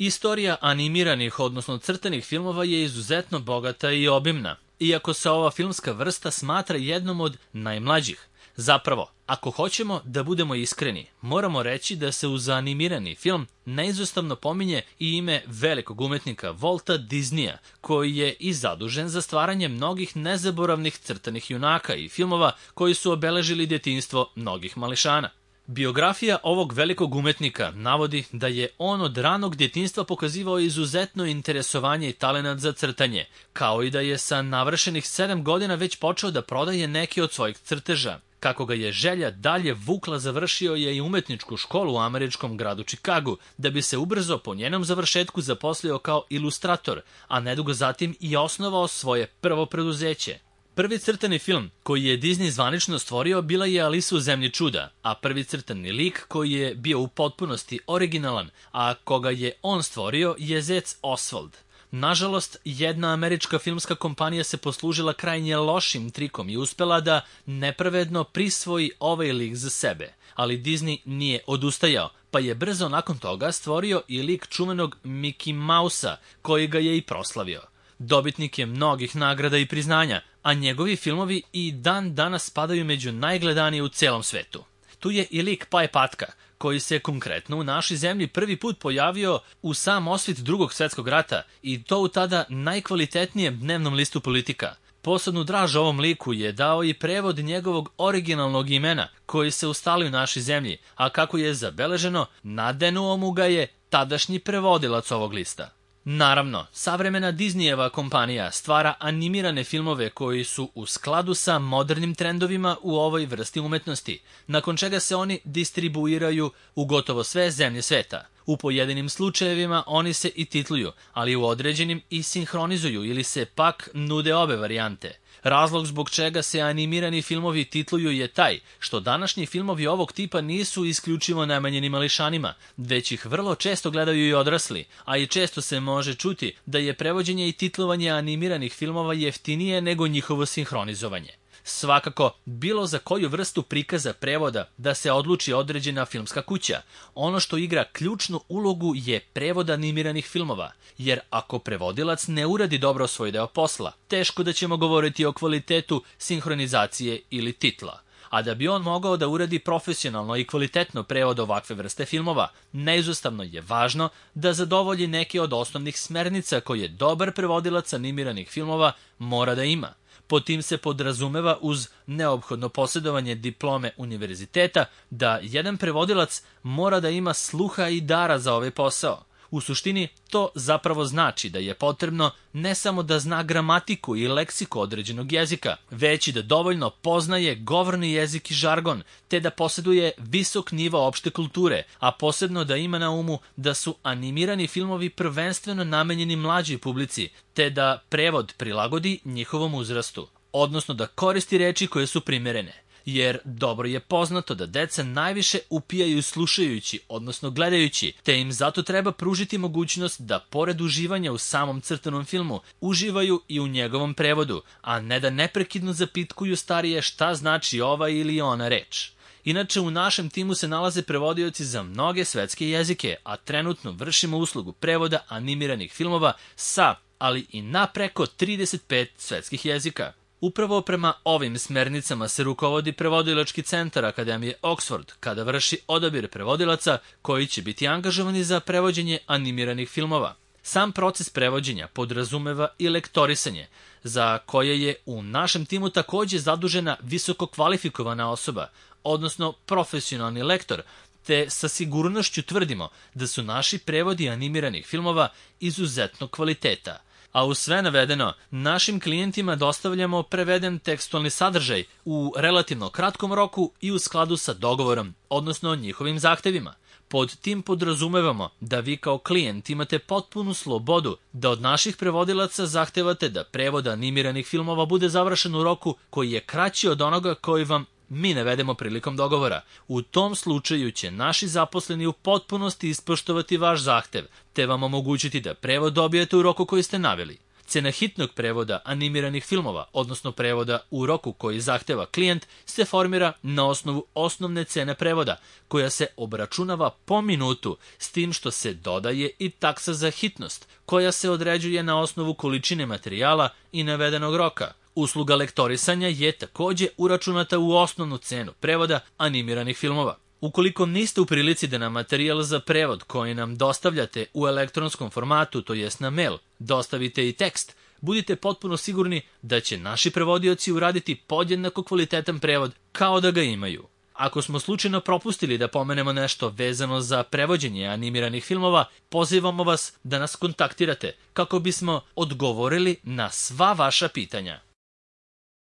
Istorija animiranih, odnosno crtanih filmova je izuzetno bogata i obimna, iako se ova filmska vrsta smatra jednom od najmlađih. Zapravo, ako hoćemo da budemo iskreni, moramo reći da se uz animirani film neizostavno pominje i ime velikog umetnika Walta Disneya, koji je i zadužen za stvaranje mnogih nezaboravnih crtanih junaka i filmova koji su obeležili djetinjstvo mnogih mališana. Biografija ovog velikog umetnika navodi da je on od ranog djetinjstva pokazivao izuzetno interesovanje i talenat za crtanje, kao i da je sa navršenih 7 godina već počeo da prodaje neke od svojih crteža. Kako ga je želja dalje vukla, završio je i umetničku školu u američkom gradu Čikagu, da bi se ubrzo po njenom završetku zaposlio kao ilustrator, a nedugo zatim i osnovao svoje prvo preduzeće. Prvi crtani film koji je Disney zvanično stvorio bila je Alisa u zemlji čuda, a prvi crtani lik koji je bio u potpunosti originalan, a koga je on stvorio je zec Oswald. Nažalost, jedna američka filmska kompanija se poslužila krajnje lošim trikom i uspela da nepravedno prisvoji ovaj lik za sebe, ali Disney nije odustajao, pa je brzo nakon toga stvorio i lik čuvenog Mickey Mousea, koji ga je i proslavio. Dobitnik je mnogih nagrada i priznanja, a njegovi filmovi i dan danas spadaju među najgledanije u celom svetu. Tu je i lik Paje Patka, koji se konkretno u našoj zemlji prvi put pojavio u sam osvit Drugog svjetskog rata i to u tada najkvalitetnijem dnevnom listu Politika. Posebnu draž ovom liku je dao i prevod njegovog originalnog imena koji se ustali u našoj zemlji, a kako je zabeleženo, nadenuo mu ga je tadašnji prevodilac ovog lista. Naravno, savremena Disneyeva kompanija stvara animirane filmove koji su u skladu sa modernim trendovima u ovoj vrsti umetnosti, nakon čega se oni distribuiraju u gotovo sve zemlje sveta. U pojedinim slučajevima oni se i titluju, ali u određenim i sinhronizuju ili se pak nude obe varijante. Razlog zbog čega se animirani filmovi titluju je taj što današnji filmovi ovog tipa nisu isključivo namenjeni mališanima, već ih vrlo često gledaju i odrasli, a i često se može čuti da je prevođenje i titlovanje animiranih filmova jeftinije nego njihovo sinhronizovanje. Svakako, bilo za koju vrstu prikaza prevoda da se odluči određena filmska kuća, ono što igra ključnu ulogu je prevod animiranih filmova, jer ako prevodilac ne uradi dobro svoj deo posla, teško da ćemo govoriti o kvalitetu sinhronizacije ili titla. A da bi on mogao da uradi profesionalno i kvalitetno prevod ovakve vrste filmova, neizostavno je važno da zadovolji neke od osnovnih smernica koje dobar prevodilac animiranih filmova mora da ima. Pod tim se podrazumeva uz neophodno posjedovanje diplome univerziteta da jedan prevodilac mora da ima sluha i dara za ovaj posao. U suštini, to zapravo znači da je potrebno ne samo da zna gramatiku i leksiku određenog jezika, već i da dovoljno poznaje govorni jezik i žargon, te da posjeduje visok nivo opšte kulture, a posebno da ima na umu da su animirani filmovi prvenstveno namenjeni mlađoj publici, te da prevod prilagodi njihovom uzrastu, odnosno da koristi reči koje su primerene. Jer dobro je poznato da deca najviše upijaju slušajući, odnosno gledajući, te im zato treba pružiti mogućnost da pored uživanja u samom crtanom filmu, uživaju i u njegovom prevodu, a ne da neprekidno zapitkuju starije šta znači ova ili ona reč. Inače, u našem timu se nalaze prevodioci za mnoge svetske jezike, a trenutno vršimo uslugu prevoda animiranih filmova sa, ali i na preko 35 svetskih jezika. Upravo prema ovim smernicama se rukovodi prevodilački centar Akademije Oxford kada vrši odabir prevodilaca koji će biti angažovani za prevođenje animiranih filmova. Sam proces prevođenja podrazumeva i lektorisanje, za koje je u našem timu također zadužena visoko kvalifikovana osoba, odnosno profesionalni lektor, te sa sigurnošću tvrdimo da su naši prevodi animiranih filmova izuzetno kvaliteta. A u sve navedeno, našim klijentima dostavljamo preveden tekstualni sadržaj u relativno kratkom roku i u skladu sa dogovorom, odnosno njihovim zahtevima. Pod tim podrazumevamo da vi kao klijent imate potpunu slobodu da od naših prevodilaca zahtevate da prevod animiranih filmova bude završen u roku koji je kraći od onoga koji vam mi navedemo prilikom dogovora. U tom slučaju će naši zaposleni u potpunosti ispoštovati vaš zahtev, te vam omogućiti da prevod dobijete u roku koji ste naveli. Cena hitnog prevoda animiranih filmova, odnosno prevoda u roku koji zahteva klijent, se formira na osnovu osnovne cene prevoda, koja se obračunava po minutu, s tim što se dodaje i taksa za hitnost, koja se određuje na osnovu količine materijala i navedenog roka. Usluga lektorisanja je takođe uračunata u osnovnu cenu prevoda animiranih filmova. Ukoliko niste u prilici da nam materijal za prevod koji nam dostavljate u elektronskom formatu, to jest na mail, dostavite i tekst, budite potpuno sigurni da će naši prevodioci uraditi podjednako kvalitetan prevod kao da ga imaju. Ako smo slučajno propustili da pomenemo nešto vezano za prevođenje animiranih filmova, pozivamo vas da nas kontaktirate kako bismo odgovorili na sva vaša pitanja.